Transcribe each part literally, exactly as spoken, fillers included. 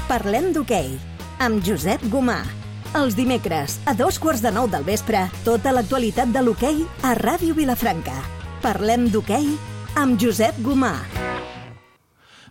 Parlem d'hoquei, amb Josep Gomà. Els dimecres, a dos quarts de nou del vespre, tota l'actualitat de l'hoquei a Ràdio Vilafranca. Parlem d'hoquei amb Josep Gomà.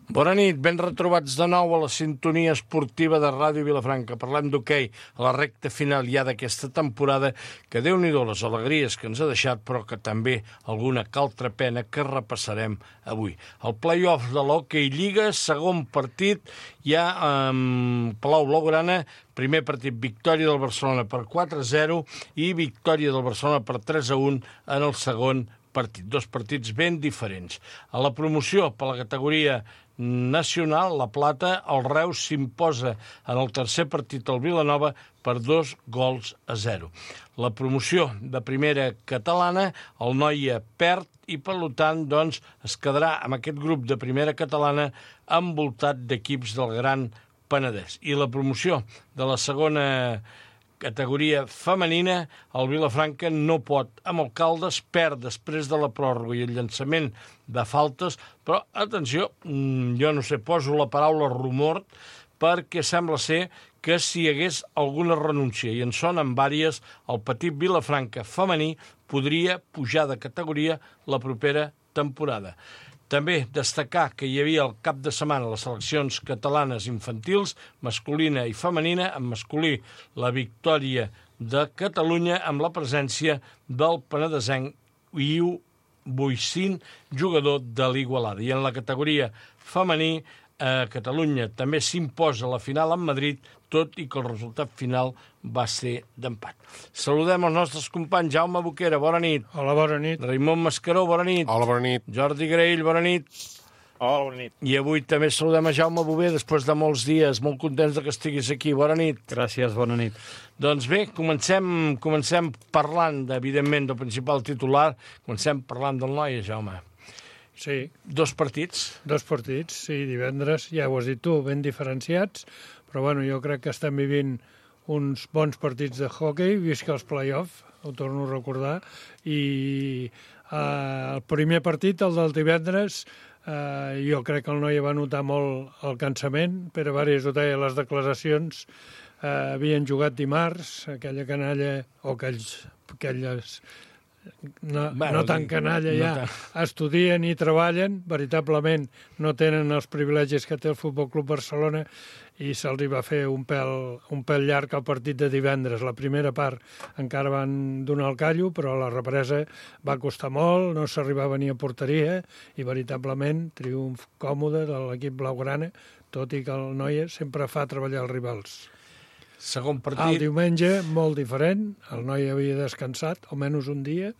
Bona nit, ben retrobats de nou a la sintonia esportiva de Ràdio Vilafranca. Parlem d'hoquei a la recta final ja d'aquesta temporada, que Déu-n'hi-do les alegries que ens ha deixat, però que també alguna altra pena que repassarem avui. El play-off de l'Hockey Lliga, segon partit, ja amb Palau Blaugrana, primer partit, victòria del Barcelona per quatre a zero i victòria del Barcelona per tres a un en el segon partit. Dos partits ben diferents. A la promoció per la categoria nacional, la plata, el Reus s'imposa en el tercer partit al Vilanova per dos gols a zero. La promoció de primera catalana, el Noia perd i, per tant, doncs, es quedarà amb aquest grup de primera catalana envoltat d'equips del Gran Penedès. I la promoció de la segona categoria femenina, el Vilafranca no pot amb el Caldes, perd després de la pròrroga i el llançament de faltes, però, atenció, jo no sé, poso la paraula rumor, perquè sembla ser que si hi hagués alguna renúncia, i en són en vàries, el petit Vilafranca femení podria pujar de categoria la propera temporada. També destacar que hi havia el cap de setmana les seleccions catalanes infantils, masculina i femenina, en masculí la victòria de Catalunya amb la presència del penedesenc Iu Boixín, jugador de l'Igualada. I en la categoria femení, a Catalunya també s'imposa la final en Madrid, tot i que el resultat final va ser d'empat. Saludem els nostres companys. Jaume Boquera, bona nit. Hola, bona nit. Raimon Mascaró, bona nit. Hola, bona nit. Jordi Graell, bona nit. Hola, bona nit. I avui també saludem a Jaume Bové, després de molts dies. Molt contents que estiguis aquí. Bona nit. Gràcies, bona nit. Doncs bé, comencem, comencem parlant, evidentment, del principal titular. Comencem parlant del Noia, Jaume. Sí. Dos partits. Dos partits, sí, divendres, ja ho has dit tu, ben diferenciats, però bueno, jo crec que estem vivint uns bons partits de hoquei, visca els play-off, ho torno a recordar, i eh, el primer partit, el del divendres, eh, jo crec que el Noia va notar molt el cansament, Pere Varies ho deia a les declaracions, eh, havien jugat dimarts, aquella canalla, o aquells, aquelles... No, bueno, no tan canalla ja, no tan... estudien i treballen, veritablement no tenen els privilegis que té el Futbol Club Barcelona i se'ls va fer un pèl, un pèl llarg al partit de divendres. La primera part encara van donar el callo, però la represa va costar molt, no s'arribava ni a porteria i veritablement triomf còmode de l'equip blaugrana, tot i que el Noia sempre fa treballar els rivals. Segon partit. El diumenge, molt diferent, el Noia havia descansat, almenys un dia,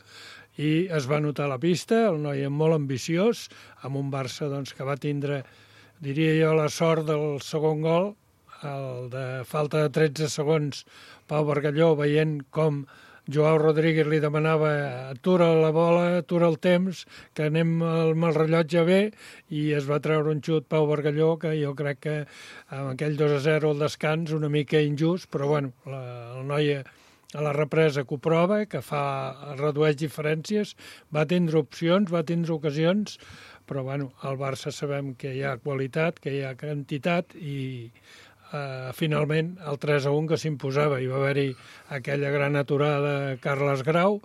i es va notar la pista, el Noia molt ambiciós, amb un Barça doncs, que va tindre, diria jo, la sort del segon gol, el de falta de tretze segons, Pau Bargalló, veient com Joao Rodríguez li demanava atura la bola, atura el temps, que anem amb el rellotge bé, i es va treure un xut Pau Bargalló, que jo crec que amb aquell dos a zero al descans, una mica injust, però bueno, la, el Noia a la represa que ho prova, que fa, redueix diferències, va tindre opcions, va tindre ocasions, però bueno, al Barça sabem que hi ha qualitat, que hi ha quantitat, i Uh, finalment el tres a un que s'imposava. Hi va haver-hi aquella gran aturada de Carles Grau,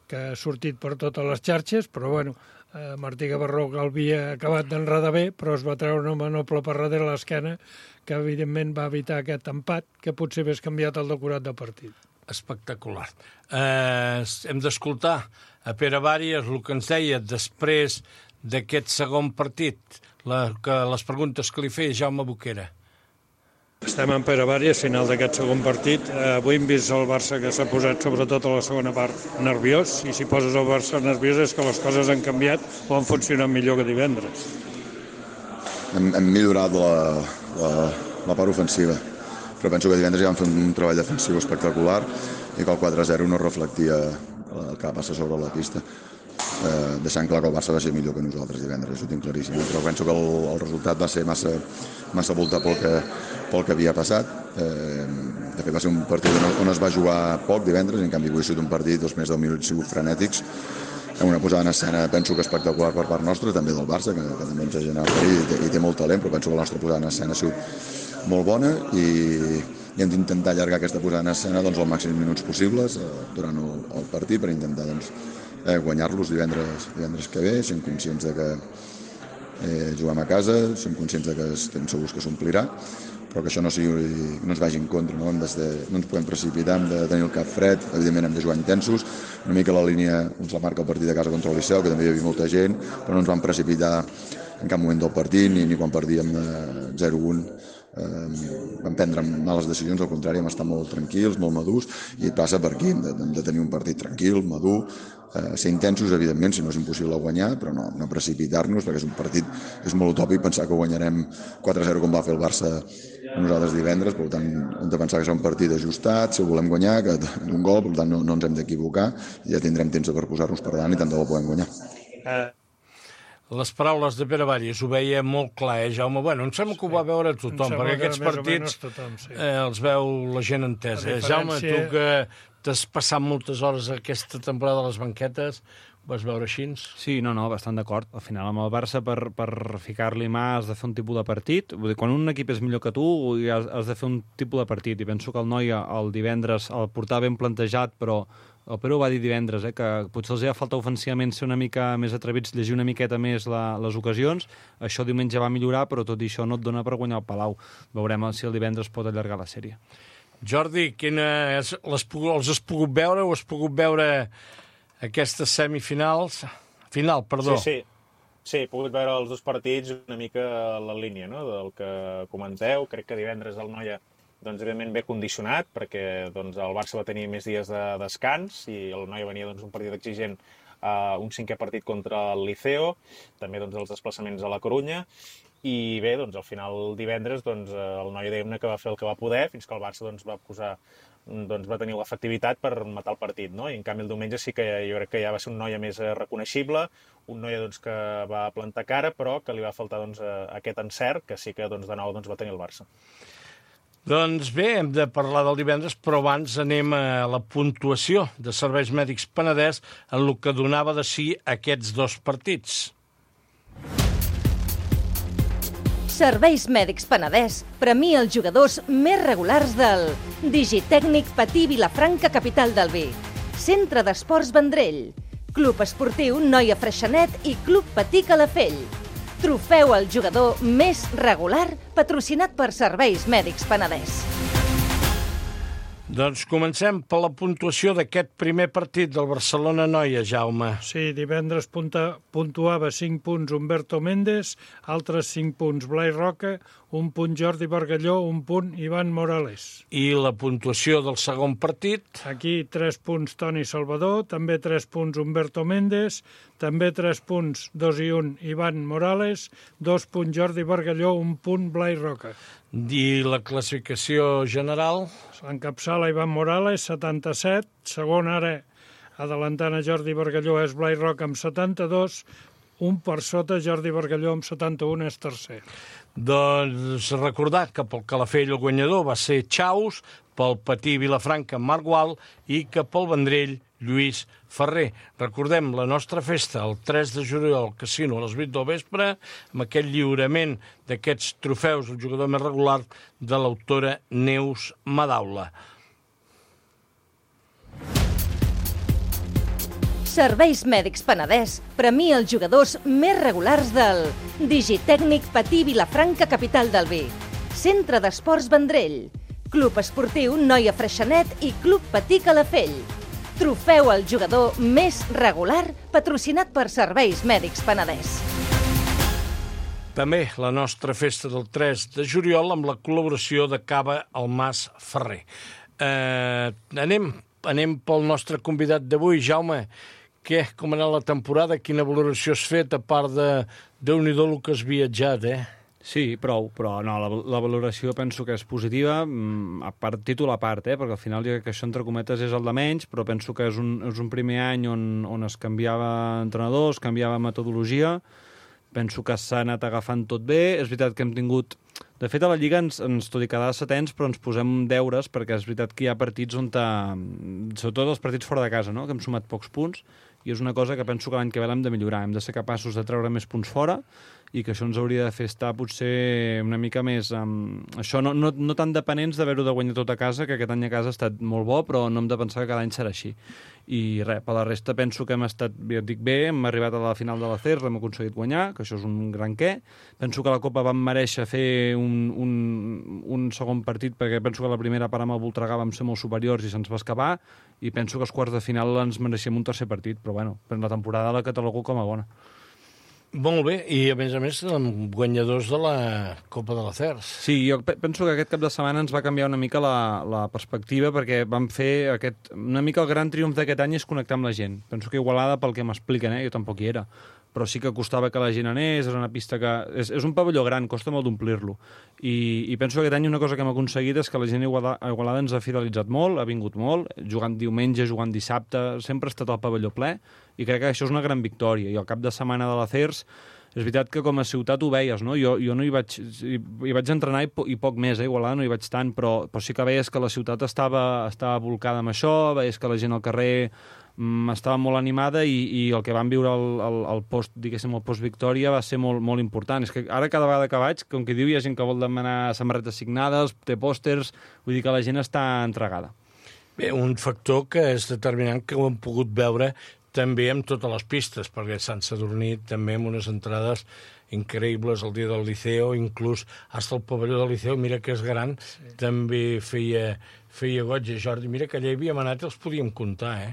que ha sortit per totes les xarxes, però bueno, uh, Martí Gavarró que l'havia acabat d'enredar bé, però es va treure una manople per darrere l'esquena, que evidentment va evitar aquest empat, que potser hagués canviat el decorat del partit. Espectacular. Uh, hem d'escoltar a Pere Varies el que ens deia després d'aquest segon partit, la, que les preguntes que li feia Jaume Boquera. Estem en Pere Varies, final d'aquest segon partit. Eh, avui hem vist el Barça que s'ha posat, sobretot a la segona part, nerviós, i si poses el Barça nerviós és que les coses han canviat o han funcionat millor que divendres. Hem, hem millorat la, la, la part ofensiva, però penso que divendres ja vam fer un treball defensiu espectacular i que el quatre a zero no reflectia el que va passar sobre la pista. Eh, deixant clar que el Barça va ser millor que nosaltres divendres, això ho tinc claríssim, però penso que el, el resultat va ser massa, massa voltat pel que, pel que havia passat. Eh, de fet va ser un partit on, on es va jugar poc divendres, en canvi avui ha sigut un partit, els més deu minuts sigut frenètics, amb una posada en escena penso que espectacular per part nostra, també del Barça, que, que també ens ha generat perill i té, i té molt talent, però penso que la nostra posada en escena ha sigut molt bona i, i hem d'intentar allargar aquesta posada en escena doncs, els màxims minuts possibles eh, durant el, el partit per intentar doncs, eh, guanyar-los divendres, divendres que ve. Som conscients de que eh, juguem a casa, som conscients de que estem segurs que s'omplirà, però que això no, sigui, no ens vagi en contra, no? Hem de, no ens podem precipitar, hem de tenir el cap fred, evidentment hem de jugar intensos, una mica la línia ens la marca el partit de casa contra el Liceu, que també hi havia molta gent, però no ens vam precipitar en cap moment del partit, ni, ni quan perdíem eh, zero a un, eh, vam prendre males decisions, al contrari, hem estat molt tranquils, molt madurs, i passa per aquí, hem de, hem de tenir un partit tranquil, madur, eh, ser intensos, evidentment, si no és impossible guanyar, però no, no precipitar-nos, perquè és un partit, és molt utòpic pensar que guanyarem quatre a zero com va fer el Barça a nosaltres divendres, per tant, hem de pensar que serà un partit ajustat, si ho volem guanyar, que un gol, per tant, no, no ens hem d'equivocar, i ja tindrem temps per posar-nos per davant i tant de bo podem guanyar. Eh... Les paraules de Pere Vallis ho veia molt clar, eh, Jaume? Bueno, em sembla que ho va veure tothom, perquè aquests partits tothom, sí. eh, els veu la gent entesa. Eh? Jaume, tu que t'has passat moltes hores aquesta temporada a les banquetes, ho vas veure així? Sí, no, no, bastant d'acord. Al final, amb el Barça, per, per ficar-li mà, has de fer un tipus de partit. Vull dir, quan un equip és millor que tu, has, has de fer un tipus de partit. I penso que el noi el divendres el portava ben plantejat, però el Pere ho va dir divendres, eh, que potser els ha faltat ofensivament ser una mica més atrevits, llegir una miqueta més la, les ocasions. Això diumenge va millorar, però tot i això no et dona per guanyar el Palau. Veurem si el divendres pot allargar la sèrie. Jordi, quina és, les, els has pogut veure o has pogut veure aquestes semifinals? Final, perdó. Sí, sí. Sí, he pogut veure els dos partits una mica a la línia, no?, del que comenteu. Crec que divendres el Noia, doncs, evidentment, bé condicionat, perquè doncs, el Barça va tenir més dies de descans i el Noia venia doncs, un partit exigent, uh, un cinquè partit contra el Liceo, també doncs, els desplaçaments a la Corunya, i bé, doncs, al final divendres doncs, el Noia diguem-ne que va fer el que va poder, fins que el Barça doncs, va posar doncs, va tenir l'efectivitat per matar el partit, no? I en canvi el diumenge sí que jo crec que ja va ser un Noia més reconeixible, un Noia doncs, que va plantar cara, però que li va faltar doncs, aquest encert, que sí que doncs, de nou doncs, va tenir el Barça. Doncs bé, hem de parlar del divendres, però abans anem a la puntuació de Serveis Mèdics Penedès en el que donava de si aquests dos partits. Serveis Mèdics Penedès premia els jugadors més regulars del Digitècnic Patí Vilafranca, capital del Vi, Centre d'Esports Vendrell, Club Esportiu Noia Freixenet i Club Patí Calafell. Trofeu al jugador més regular, patrocinat per Serveis Mèdics Penedès. Doncs comencem per la puntuació d'aquest primer partit del Barcelona-Noia, Jaume. Sí, divendres punta, puntuava cinc punts Humberto Méndez, altres cinc punts Blai Roca, un punt Jordi Bargalló, un punt Ivan Morales. I la puntuació del segon partit? Aquí tres punts Toni Salvador, també tres punts Humberto Méndez, també tres punts, dos i un Ivan Morales, dos punts Jordi Bargalló, un punt Blai Roca. I la classificació general? Encapçala Ivan Morales, setanta-set, segon ara, adelantant a Jordi Bargalló, és Blai Roca amb setanta-dos, un per sota Jordi Bargalló amb setanta-un és tercer. Doncs recordar que pel Calafell el guanyador va ser Chaus, pel Patí Vilafranca Marc Gual i que pel Vendrell Lluís Ferrer. Recordem la nostra festa el tres de juliol al Casino a les vuit del vespre amb aquest lliurament d'aquests trofeus al jugador més regular de l'autora Neus Madaula. Serveis Mèdics Penedès premia els jugadors més regulars del Digitècnic Patí Vilafranca, capital del Vi, Centre d'Esports Vendrell, Club Esportiu Noia Freixenet i Club Patí Calafell. Trofeu al jugador més regular, patrocinat per Serveis Mèdics Penedès. També la nostra festa del tres de juliol amb la col·laboració de Cava Almàs Ferrer. Eh, anem, anem pel nostre convidat d'avui, Jaume. Què, com ha anat la temporada? Quina valoració has fet, a part de Déu-n'hi-do el que has viatjat, eh? Sí, prou, però no, la, la valoració penso que és positiva, a part, títol a part, eh? Perquè al final jo crec que això, entre cometes, és el de menys, però penso que és un, és un primer any on, on es canviava entrenador, es canviava metodologia, penso que s'ha anat agafant tot bé, és veritat que hem tingut... De fet, a la Lliga, ens, ens tot i quedar setens, però ens posem deures, perquè és veritat que hi ha partits on... Ta... Sobretot els partits fora de casa, no?, que hem sumat pocs punts, i és una cosa que penso que l'any que ve l'hem de millorar. Hem de ser capaços de treure més punts fora i que això ens hauria de fer estar potser una mica més... Um, això no, no, no tan dependents d'haver-ho de guanyar tot a casa, que aquest any a casa ha estat molt bo, però no hem de pensar que cada any serà així. I res, per la resta penso que hem estat, ja dic bé, hem arribat a la final de la C E R, l'hem aconseguit guanyar, que això és un gran què. Penso que la Copa vam mereixer fer un, un, un segon partit, perquè penso que la primera part amb el Voltregà vam ser molt superiors i se'ns va escapar, i penso que els quarts de final ens mereixíem un tercer partit, però bueno, per la temporada la catalogo com a bona. Molt bé, i a més a més guanyadors de la Copa de la C E R. Sí, jo penso que aquest cap de setmana ens va canviar una mica la, la perspectiva, perquè vam fer aquest, una mica el gran triomf d'aquest any és connectar amb la gent. Penso que Igualada, pel que m'expliquen, eh, jo tampoc hi era, però sí que costava que la gent anés, és una pista que... És, és un pavelló gran, costa molt d'omplir-lo. I, I penso que aquest any una cosa que hem aconseguit és que la gent a Igualada, a Igualada ens ha fidelitzat molt, ha vingut molt, jugant diumenge, jugant dissabte, sempre ha estat el pavelló ple, i crec que això és una gran victòria. I al cap de setmana de la C E R S, és veritat que com a ciutat ho veies, no? Jo, jo no hi vaig, hi, hi vaig entrenar i, po, i poc més, eh? Igualada no hi vaig tant, però, però sí que veies que la ciutat estava, estava volcada amb això, veies que la gent al carrer mm, estava molt animada i, i el que vam viure al, al, al post, diguéssim, al post-victòria va ser molt, molt important. És que ara cada vegada que vaig, com que diu, hi ha gent que vol demanar samarretes signades, té pòsters, vull dir que la gent està entregada. Bé, un factor que és determinant que ho hem pogut veure també amb totes les pistes, perquè Sant Sadurní també amb unes entrades increïbles el dia del Liceo, inclús hasta el pavelló del Liceo, mira que és gran, sí. També feia, feia goig. Jordi, mira que allà hi havíem anat i els podíem comptar, eh?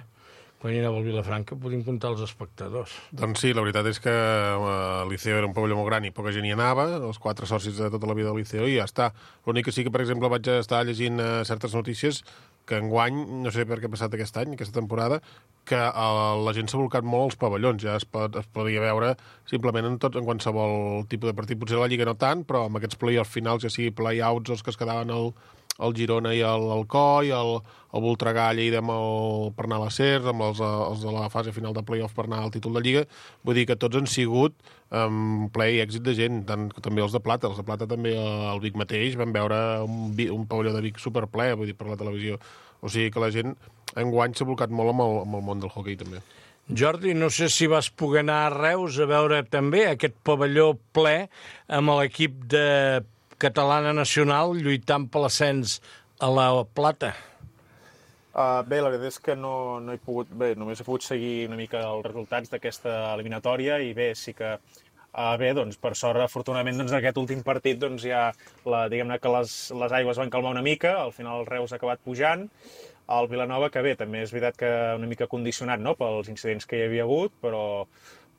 Quan hi anava al Vilafranca podíem comptar els espectadors. Doncs sí, la veritat és que el Liceo era un pavelló molt gran i poca gent hi anava, els quatre socis de tota la vida del Liceo, i ja està. L'únic que sí que, per exemple, vaig estar llegint uh, certes notícies que enguany, no sé per què ha passat aquest any, aquesta temporada, que uh, la gent s'ha volcat molt als pavellons. Ja es, pot, es podia veure simplement en, tot, en qualsevol tipus de partit. Potser a la Lliga no tant, però amb aquests play-offs finals, ja sigui play-outs, els que es quedaven al, al Girona i al Alcoi, el, el Voltregà a Lleida amb el, per anar a la C E R, amb els, els de la fase final de play-off per anar al títol de Lliga. Vull dir que tots han sigut um, ple i èxit de gent, tant, també els de Plata. Els de Plata també, al Vic mateix, vam veure un, un pavelló de Vic superple, vull dir, per la televisió. O sigui que la gent enguany s'ha volcat molt amb el, amb el món del hoquei, també. Jordi, no sé si vas poder anar a Reus a veure també aquest pavelló ple amb l'equip de Catalana Nacional lluitant per l'ascens a la Plata. Uh, bé, la veritat és que no, no he pogut... Bé, només he pogut seguir una mica els resultats d'aquesta eliminatòria i bé, sí que... Uh, bé, doncs, per sort, afortunadament, doncs, en aquest últim partit, doncs, ja, la, diguem-ne que les, les aigües van calmar una mica, al final el Reus ha acabat pujant, el Vilanova, que bé, també és veritat que una mica condicionat, no?, pels incidents que hi havia hagut, però,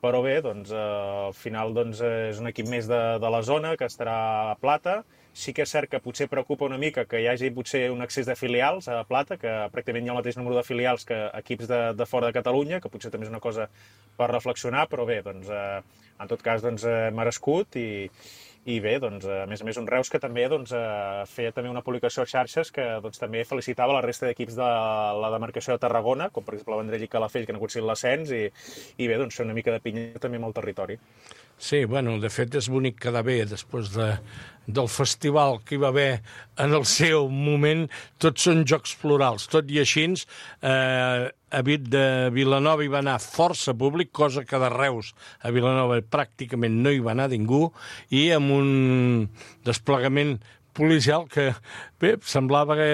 però bé, doncs, uh, al final, doncs, és un equip més de, de la zona, que estarà a Plata. Sí que és cert que potser preocupa una mica que hi hagi potser un excés de filials a Plata, que pràcticament hi ha el mateix número de filials que equips de, de fora de Catalunya, que potser també és una cosa per reflexionar, però bé, doncs, eh, en tot cas, doncs, eh, merescut i, i bé, doncs, a més a més, un Reus que també doncs, eh, feia també una publicació a xarxes que doncs, també felicitava la resta d'equips de la demarcació de Tarragona, com per exemple Vendrell i Calafell, que han aconseguit l'ascens, i, i bé, doncs, fer una mica de pinya també amb el territori. Sí, bueno, de fet és bonic quedar bé després de, del festival que hi va haver en el seu moment. Tots són jocs plurals, tot i així, eh, a de Vilanova hi va anar força públic, cosa que de Reus a Vilanova pràcticament no hi va anar ningú, i amb un desplegament policial que, bé, semblava que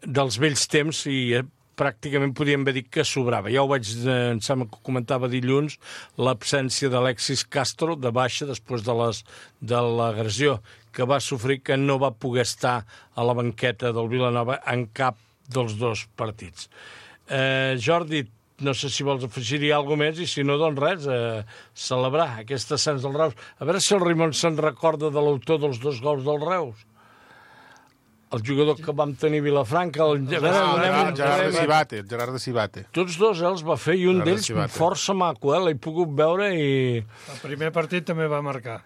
dels vells temps i pràcticament podíem haver dit que sobrava. Ja ho vaig, em sembla que comentava dilluns, l'absència d'Alexis Castro de baixa després de les de l'agressió que va sofrir, que no va poder estar a la banqueta del Vilanova en cap dels dos partits. Eh, Jordi, no sé si vols afegir-hi alguna més, i si no, doncs res, eh, celebrar aquest ascens del Reus. A veure si el Rimon se'n recorda de l'autor dels dos gols del Reus. El jugador que vam tenir a Vilafranca... El... Ah, el Gerard de Cibate, el Gerard de Cibate. Tots dos els va fer, i un d'ells força maco, eh? L'he pogut veure i... El primer partit també va marcar.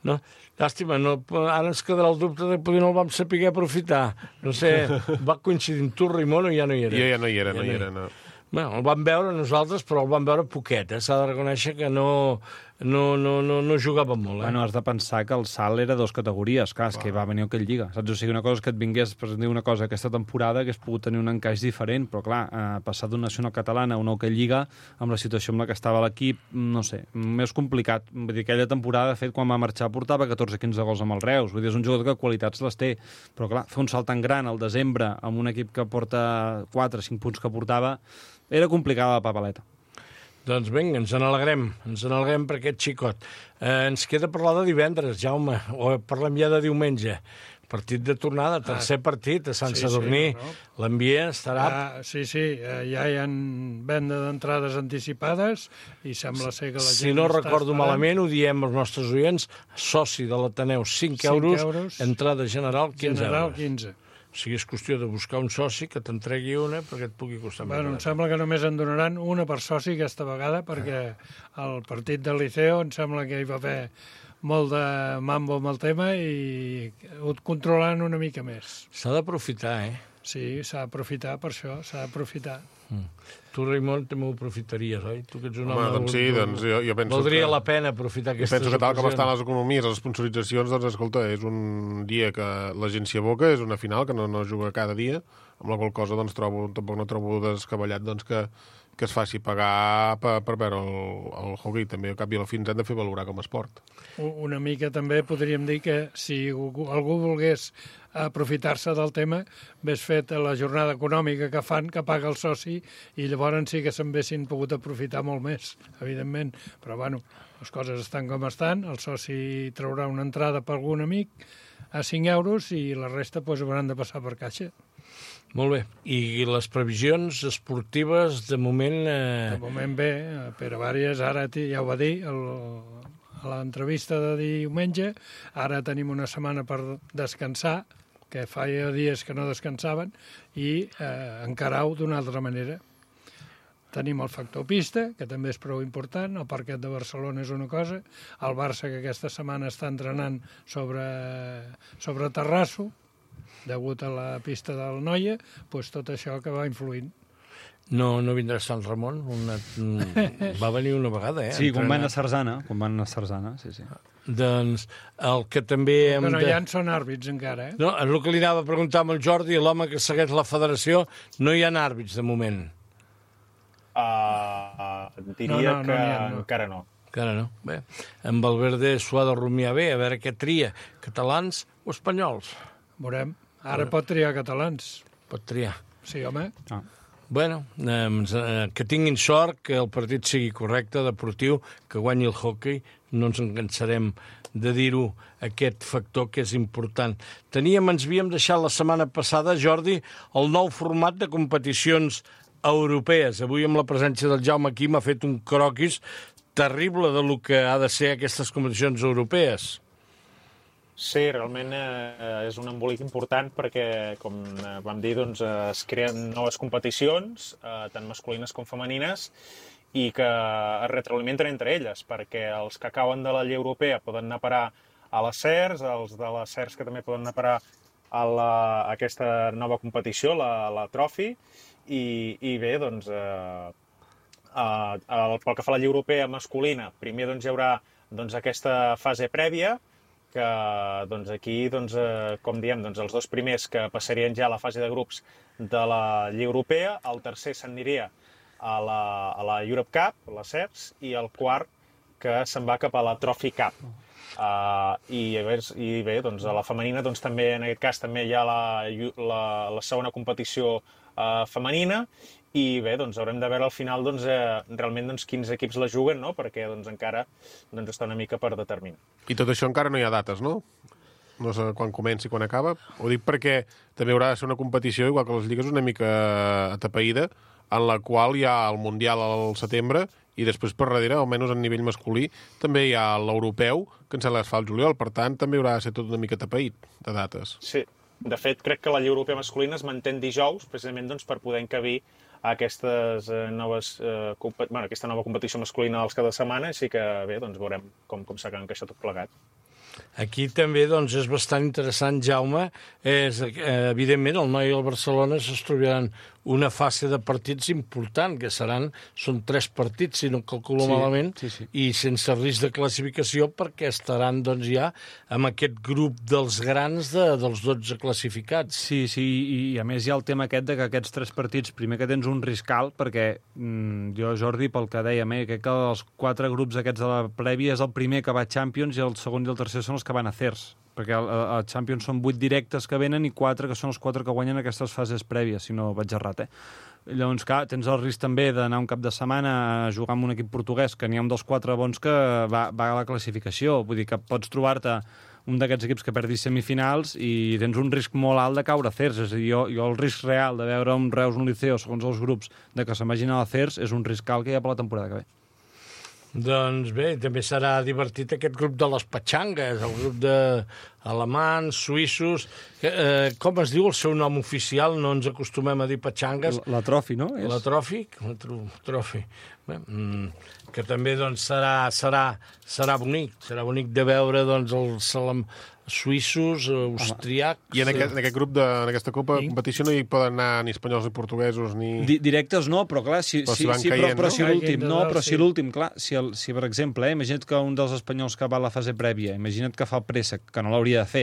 No? Llàstima, no, ara ens quedarà el dubte de poder no el vam saber aprofitar. No sé, va coincidir amb tu, Rimon, o ja no hi era? Jo ja no hi era, ja no hi era, no. Bueno, el vam veure nosaltres, però el vam veure poquet, eh? S'ha de reconèixer que no, no, no, no, no jugava molt. Eh? Bueno, has de pensar que el salt era dos categories, clar, és que va venir aquell Lliga, saps? O sigui, una cosa és que et vingués per dir una cosa aquesta temporada que hagués pogut tenir un encaix diferent, però clar, eh, passar d'una nacional catalana a una hoquei Lliga, amb la situació amb la que estava l'equip, no sé, més complicat. Vull dir, aquella temporada, de fet, quan va marxar, portava catorze quinze gols amb el Reus. Vull dir, és un jugador que qualitats les té, però clar, fer un salt tan gran al desembre amb un equip que porta quatre cinc punts que portava, era complicada la papeleta. Doncs vinga, ens n'alegrem, ens n'alegrem per aquest xicot. Eh, ens queda parlar de divendres, Jaume, o parlem ja de diumenge. Partit de tornada, tercer ah, partit a Sant sí, Sadurní. Sí, no? L'ambient estarà... Ah, sí, sí, eh, ja hi ha venda d'entrades anticipades i sembla ser que la gent... Si no recordo esperant. malament, ho diem als nostres oients, soci de l'Ateneu, cinc euros, euros, entrada general, quinze general, euros. quinze. O sigui, és qüestió de buscar un soci que t'entregui una perquè et pugui costar més. Bueno, em sembla que només en donaran una per soci aquesta vegada, perquè el partit del Liceo em sembla que hi va haver molt de mambo amb el tema i ho controlant una mica més. S'ha d'aprofitar, eh? Sí, s'ha d'aprofitar per això, s'ha d'aprofitar. Mm. Tu, Raimon, també ho aprofitaries, oi? Tu que ets un home, home... Doncs sí, doncs jo, jo penso Valdria que... la pena aprofitar aquestes ocasions. Penso que tal com estan les ocasions. economies, les sponsoritzacions, doncs, escolta, és un dia que la gent s'hi aboca, és una final que no, no juga cada dia, amb la qual cosa, doncs, trobo, tampoc no trobo descabellat, doncs, que, que es faci pagar per, per veure el, el hockey. També, al cap i a la fi, ens hem de fer valorar com a esport. Una mica també podríem dir que si algú volgués aprofitar-se del tema, ves fet la jornada econòmica que fan, que paga el soci, i llavors sí que se'n haguessin pogut aprofitar molt més, evidentment. Però, bueno, les coses estan com estan, el soci traurà una entrada per algun amic a cinc euros i la resta pues, hauran de passar per caixa. Molt bé. I les previsions esportives, de moment... Eh... De moment bé. Pere Vàries ara ja ho va dir el, a l'entrevista de diumenge. Ara tenim una setmana per descansar, que feia dies que no descansaven, i eh, encarar-ho d'una altra manera. Tenim el factor pista, que també és prou important, el parquet de Barcelona és una cosa, el Barça, que aquesta setmana està entrenant sobre, sobre terrasso, degut a la pista del Noia, doncs tot això que va influint. No, no vindrà Sant Ramon? Una... Va venir una vegada, eh? Sí, quan van a Sarzana, quan van a Sarzana, sí, sí. Doncs el que també hem que no de... hi ha són àrbits encara, eh? No, el que li anava a preguntar amb el Jordi, l'home que segueix la federació, no hi ha àrbits de moment. Uh, diria no, no, que no ha, no. encara no. Encara no. Bé, amb Valverde s'ho ha de rumiar bé, a veure què tria, catalans o espanyols. Veurem. Ara pot triar catalans. Pot triar. Sí, home. Ah. Bueno, eh, que tinguin sort, que el partit sigui correcte, deportiu, que guanyi el hockey. No ens encansarem de dir-ho, aquest factor que és important. Teníem, ens havíem deixat la setmana passada, Jordi, el nou format de competicions europees. Avui, amb la presència del Jaume aquí, m'ha fet un croquis terrible de lo que ha de ser aquestes competicions europees. Sí, realment eh, és un embolic important perquè, com eh, vam dir, doncs, eh, es creen noves competicions, eh, tant masculines com femenines, i que es retroalimenten entre elles, perquè els que acaben de la Lliga Europea poden anar a parar a les C E R S, els de les C E R S que també poden anar a parar a, la, a aquesta nova competició, la, la Trophy, i, i bé, doncs, eh, eh, pel que fa a la Lliga Europea masculina, primer doncs, hi haurà doncs, aquesta fase prèvia, que doncs, aquí, doncs, eh, com diem, doncs, els dos primers que passarien ja a la fase de grups de la Lliga Europea, el tercer s'aniria a la, a la Europe Cup, la C E R S, i el quart que se'n va cap a la Trophy Cup. Uh, i, I bé, doncs, a la femenina doncs, també, en aquest cas també hi ha la, la, la segona competició uh, femenina, i bé, doncs haurem de veure al final doncs, eh, realment doncs, quins equips la juguen, no? Perquè doncs, encara doncs, està una mica per determinar. I tot això encara no hi ha dates, no? No sé quan comença i quan acaba. Ho dic perquè també haurà de ser una competició, igual que les lligues, una mica atapeïda, en la qual hi ha el Mundial al setembre i després per darrere, almenys a nivell masculí, també hi ha l'europeu, que em sembla que es fa al juliol, per tant també haurà de ser tot una mica atapeït de dates. Sí, de fet crec que la Lliga Europea masculina es manté dijous, precisament doncs, per poder encabir aquestes eh, noves, eh, bueno, aquesta nova competició masculina dels cada setmana, així que bé, doncs veurem com, com s'ha encaixat tot plegat. Aquí també doncs, és bastant interessant, Jaume, és, eh, evidentment el Noi i el Barcelona es trobaran una fase de partits important, que seran, són tres partits, si no calculo Sí, malament, sí, sí. i sense risc de classificació, perquè estaran doncs, ja amb aquest grup dels grans de, dels dotze classificats. Sí, sí, i, i a més hi ha el tema aquest de que aquests tres partits, primer que tens un risc alt, perquè mm, jo, Jordi, pel que dèiem, eh, crec que els quatre grups aquests de la prèvia és el primer que va a Champions i el segon i el tercer són els que van a Cers, perquè a, a Champions són vuit directes que venen i quatre que són els quatre que guanyen aquestes fases prèvies, si no vaig errat, eh? Llavors, clar, tens el risc també d'anar un cap de setmana a jugar amb un equip portuguès, que n'hi ha un dels quatre bons que va, va a la classificació. Vull dir que pots trobar-te un d'aquests equips que perdi semifinals i tens un risc molt alt de caure a Cers. És a dir, jo, jo el risc real de veure un Reus, un Liceo, segons els grups, de que se'n vagin a la Cers, és un risc alt que hi ha per la temporada que ve. Doncs bé, també serà divertit aquest grup de les petxangues, el grup d'alemans, suïssos... Eh, com es diu el seu nom oficial? No ens acostumem a dir petxangues. La, la Trofi, no? És... La Trofi? La tro, trofi. Bé, mm, que també doncs, serà, serà, serà bonic. Serà bonic de veure doncs, els salam, suïssos, austríacs... I en aquest, en aquest grup, de, en aquesta Copa de competició no hi poden anar ni espanyols ni portuguesos ni... Di directes no, però clar, si, però si, si van si, caient, però, però no? si l'últim, no, però sí. si l'últim, clar, si, el, si per exemple, eh, imagina't que un dels espanyols que va a la fase prèvia, imagina't que fa el préssec, que no l'hauria de fer,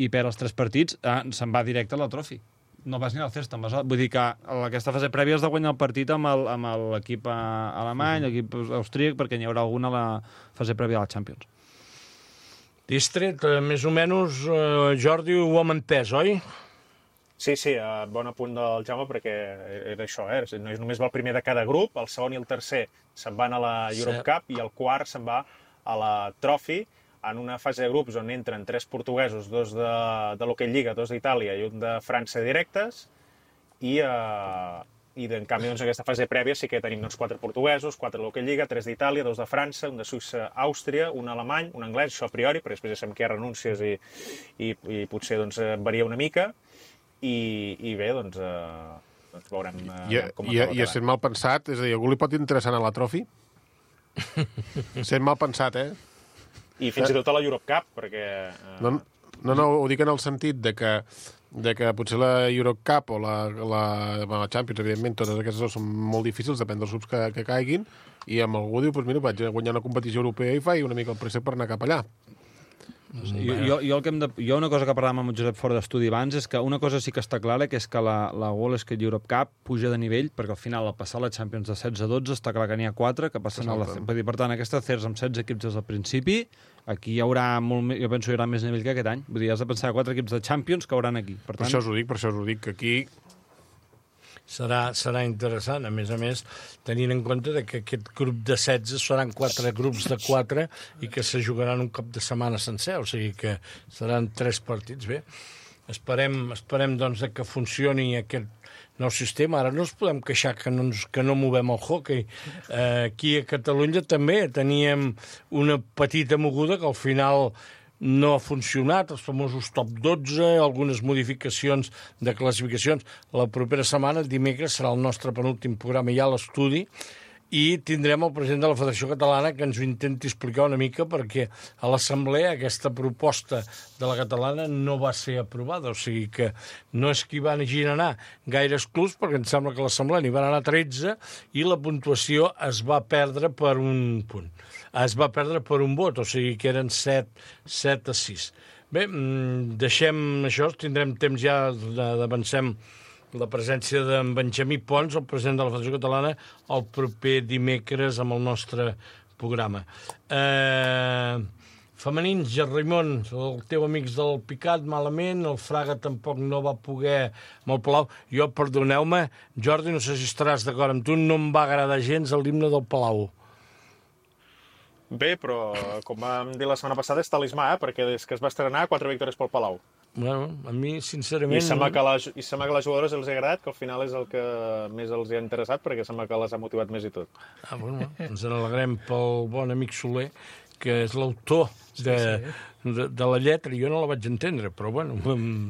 i perd els tres partits, eh, se'n va directe a la Trofi. No vas ni al Cers, te'n vas a... Vull dir que a aquesta fase prèvia has de guanyar el partit amb el- amb l'equip alemany, uh -huh. l'equip austríac, perquè n'hi haurà alguna a la fase prèvia de la Champions. Distret, eh, més o menys, eh, Jordi, ho hem entès, oi? Sí, sí, uh, bon apunt del Jaume, perquè era això, eh? No és només va el primer de cada grup, el segon i el tercer se'n van a la Europe Sí. Cup i el quart se'n va a la Trophy, en una fase de grups on entren tres portuguesos, dos de, de l'Hockey Lliga, dos d'Itàlia i un de França directes, i, uh, i en canvi doncs, en aquesta fase prèvia sí que tenim doncs, quatre portuguesos, quatre de l'Hockey Lliga, tres d'Itàlia, dos de França, un de Suïssa, Àustria, un alemany, un anglès, això a priori, perquè després ja sabem que hi ha renúncies i, i, i potser doncs, varia una mica, i, i bé, doncs, eh, doncs veurem eh, I, com i, acaba i quedant. sent mal pensat, és a dir, algú li pot interessar anar a la Trofi? Sent mal pensat, eh? I fins i tot a la Europe Cup, perquè... Eh, No, no, no, ho dic en el sentit de que, de que potser la Europe Cup o la, la, la Champions, evidentment, totes aquestes dos són molt difícils, depèn dels grups que, que caiguin, i amb algú diu, doncs mira, vaig a guanyar una competició europea i faig una mica el préssec per anar cap allà. Jo, jo, jo, el que hem de, jo una cosa que parlàvem amb el Josep fora d'estudi abans és que una cosa sí que està clara, que és que la, la World Skate Europe Cup puja de nivell, perquè al final, al passar la Champions de setze a dotze, està clar que n'hi ha quatre que passen a la... Vull dir, per tant, aquesta Cers amb setze equips des del principi, aquí hi haurà molt més, jo penso que hi haurà més nivell que aquest any. Vull dir, has de pensar quatre equips de Champions que hauran aquí. Per Per tant, això us ho dic, per això us ho dic, que aquí Serà, serà interessant, a més a més, tenint en compte de que aquest grup de setze seran quatre grups de quatre i que se jugaran un cap de setmana sencer, o sigui que seran tres partits. Bé, esperem, esperem doncs, que funcioni aquest nou sistema. Ara no ens podem queixar que no, ens, que no movem el hockey. Eh, aquí a Catalunya també teníem una petita moguda que al final no ha funcionat, els famosos top dotze, algunes modificacions de classificacions. La propera setmana, dimecres, serà el nostre penúltim programa ja a l'estudi, i tindrem el president de la Federació Catalana que ens ho intenti explicar una mica, perquè a l'assemblea aquesta proposta de la catalana no va ser aprovada, o sigui que no és que hi van anar gaires clubs, perquè em sembla que a l'assemblea n'hi van anar tretze i la puntuació es va perdre per un punt. Es va perdre per un vot, o sigui que eren set, set a sis. Bé, deixem això, tindrem temps ja d'avancem la presència d'en Benjamí Pons, el president de la Federació Catalana, el proper dimecres amb el nostre programa. Eh, femenins, Gerrimon, el teu amics del Picat, malament, el Fraga tampoc no va poder amb el Palau. Jo, perdoneu-me, Jordi, no sé si estaràs d'acord amb tu, no em va agradar gens l'himne del Palau. Bé, però com vam dir la setmana passada és talismà, eh? Perquè des que es va estrenar, quatre victòries pel Palau. Bueno, a mi, sincerament... I sembla que, la, i sembla que a les jugadores els ha agradat, que al final és el que més els ha interessat, perquè sembla que les ha motivat més i tot. Ah, bueno, ens n'alegrem pel bon amic Soler, que és l'autor de, de, de la lletra. Jo no la vaig entendre, però bueno, en,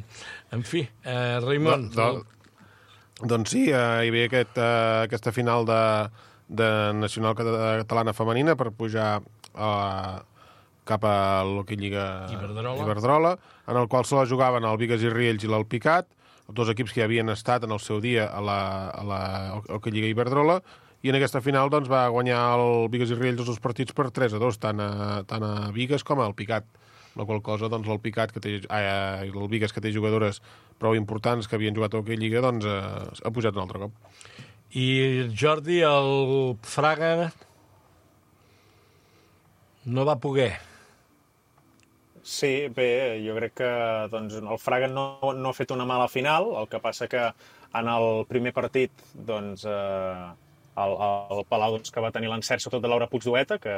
en fi, eh, Raimon... Do, do, doncs sí, eh, hi havia aquest, eh, aquesta final de, de Nacional Catalana Femenina per pujar a... cap a l'Hockey Lliga Iberdrola. Iberdrola, en el qual se la jugaven el Bigues i Riells i l'Alpicat. dos equips que ja havien estat en el seu dia a la, a la Hockey Lliga Iberdrola, i en aquesta final doncs, va guanyar el Bigues i Riells els dos partits per tres a dos, tant a, tant a Bigues com al Picat. La qual cosa, doncs, el Picat, que té, ah, el Bigues, que té jugadores prou importants que havien jugat a Hockey Lliga, doncs eh, ha pujat un altre cop. I Jordi, el Fraga no va poder. Sí, bé, jo crec que doncs, el Fraga no, no ha fet una mala final, el que passa que en el primer partit doncs, eh, el, el Palau doncs, que va tenir l'encert sobretot de Laura Puigdueta, que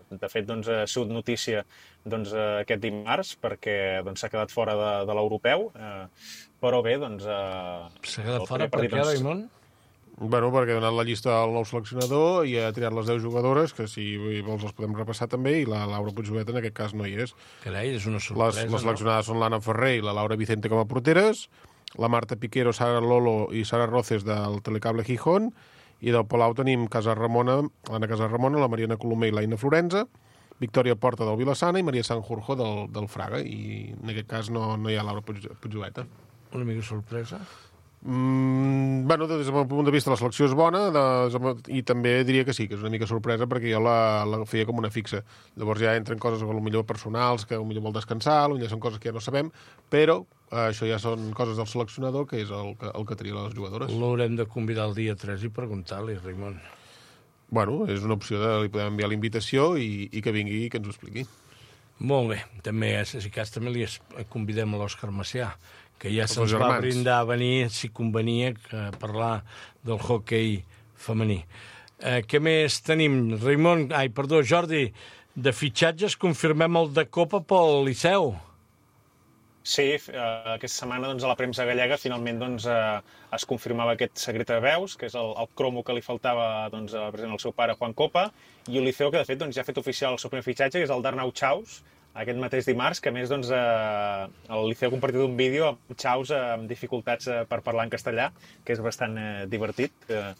de fet doncs, ha sigut notícia doncs, aquest dimarts perquè doncs, s'ha quedat fora de, de l'europeu, eh, però bé, doncs... Eh, s'ha quedat fora per què, Raimon? Bueno, perquè ha donat la llista al nou seleccionador i ha triat les deu jugadores, que si vols les podem repassar també, i la Laura Puigdueta en aquest cas no hi és. Carai, és una sorpresa, les, les seleccionades no? Són l'Anna Ferrer i la Laura Vicente com a porteres, la Marta Piquero, Sara Lolo i Sara Roces del Telecable Gijón, i del Palau tenim Casa Ramona, l'Anna Casa Ramona, la Mariana Colomer i l'Aina Florenza, Victòria Porta del Vilassana i Maria Sanjurjo del, del Fraga, i en aquest cas no, no hi ha Laura Puigdueta. Una mica sorpresa. Mm, bueno, des del meu punt de vista la selecció és bona, de, i també diria que sí, que és una mica sorpresa perquè jo la, la feia com una fixa. Llavors ja entren coses potser personals que potser vol descansar, potser són coses que ja no sabem, però eh, això ja són coses del seleccionador, que és el que, el que tria les jugadores. L'haurem de convidar el dia tres i preguntar-li, Raimon. Bueno, és una opció de... li podem enviar la invitació i, i que vingui i que ens ho expliqui. Molt bé. També, si cas, també li convidem a l'Òscar Macià, que ja se'ns va brindar a venir, si convenia, a parlar del hoquei femení. Eh, què més tenim? Raimon, ai, perdó, Jordi, de fitxatges confirmem el de Copa pel Liceu. Sí, eh, aquesta setmana doncs, a la premsa gallega finalment doncs, eh, es confirmava aquest secret de veus, que és el, el cromo que li faltava doncs, a, present, al seu pare Juan Copa, i el Liceu, que de fet doncs, ja ha fet oficial el seu primer fitxatge, que és el d'Arnau Chaus, aquest mateix dimarts, que a més doncs, eh, el Liceu ha compartit un vídeo amb Chaus eh, amb dificultats eh, per parlar en castellà, que és bastant eh, divertit. Eh,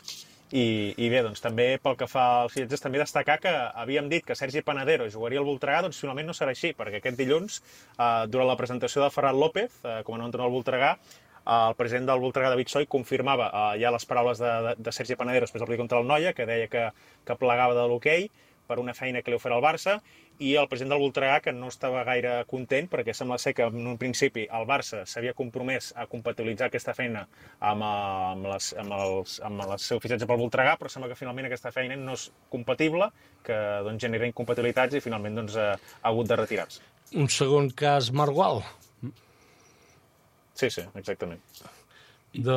i, I bé, doncs també pel que fa als fitxatges, també destacar que havíem dit que Sergi Panadero jugaria al Voltregà, doncs finalment no serà així, perquè aquest dilluns, eh, durant la presentació de Ferran López, eh, com a nou entrenador al Voltregà, eh, el president del Voltregà, David Soy, confirmava eh, ja les paraules de, de, de Sergi Panadero després del partit contra el Noia, que deia que, que plegava de l'hoquei per una feina que li ofereix el Barça, i el president del Voltregà, que no estava gaire content, perquè sembla ser que en un principi el Barça s'havia compromès a compatibilitzar aquesta feina amb, amb, les, amb, els, amb el seu fitxatge pel Voltregà, però sembla que finalment aquesta feina no és compatible, que doncs, genera incompatibilitats i finalment doncs, ha hagut de retirar-se. Un segon cas Margual. Sí, sí, exactament. De,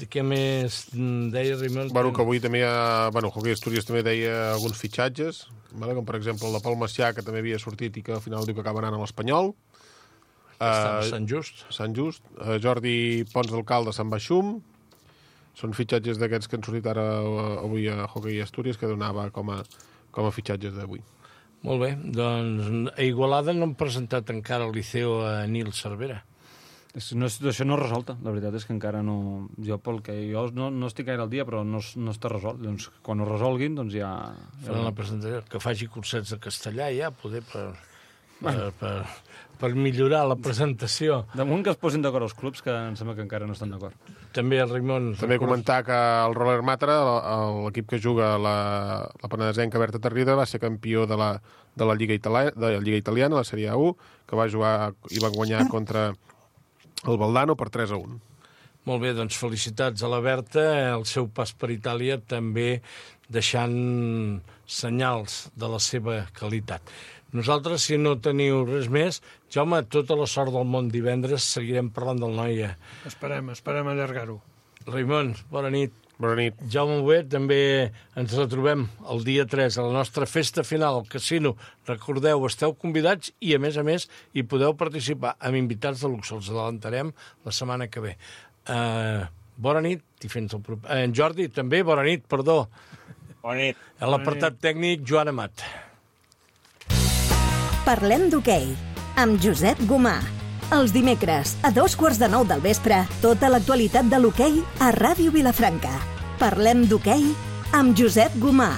de què més deia Raimon? Bueno, que avui també hi ha... Bueno, Hockey Astúries també deia alguns fitxatges, vale? Com per exemple el de Pol Macià, que també havia sortit i que al final diu que acaba anant a l'Espanyol. Està a Sant Just. Sant Just. Uh, Jordi Pons d'Alcalde, Sant Baixum. Són fitxatges d'aquests que han sortit ara avui a Hockey Astúries, que donava com a, com a fitxatges d'avui. Molt bé, doncs a Igualada no han presentat encara al Liceu a Nil Cervera. No, això no és resolta, la veritat és que encara no... Jo, pel que jo no, no estic gaire al dia, però no, no està resolt. Doncs quan ho resolguin, doncs ja... Faran la presentació, que faci cursets de castellà ja, poder per, per, per, per millorar la presentació. Damunt que es posin d'acord els clubs, que em sembla que encara no estan d'acord. També el Raimon... També comentar que el Roller Matra, l'equip que juga la, la penedesenca Berta Tarrida, va ser campió de la, de la Lliga Italiana, de la Lliga Italiana, la Sèrie u, que va jugar i va guanyar contra el Valdano per tres a un. Molt bé, doncs felicitats a la Berta, el seu pas per Itàlia també deixant senyals de la seva qualitat. Nosaltres, si no teniu res més, Jaume, tota la sort del món divendres, seguirem parlant del Noia. Esperem, esperem allargar-ho. Raimon, bona nit. Bona nit. Jaume Huet, també ens retrobem el dia tres a la nostra festa final al casino. Recordeu, esteu convidats i, a més a més, hi podeu participar amb invitats de luxe. Els adelantarem la setmana que ve. Uh, bona nit i fins al proper... Uh, en Jordi, també, bona nit, perdó. Bona nit. A l'apartat tècnic, Joan Amat. Parlem d'hoquei amb Josep Gomà. Els dimecres, a dos quarts de nou del vespre, tota l'actualitat de l'hoquei a Ràdio Vilafranca. Parlem d'hoquei amb Josep Gomà.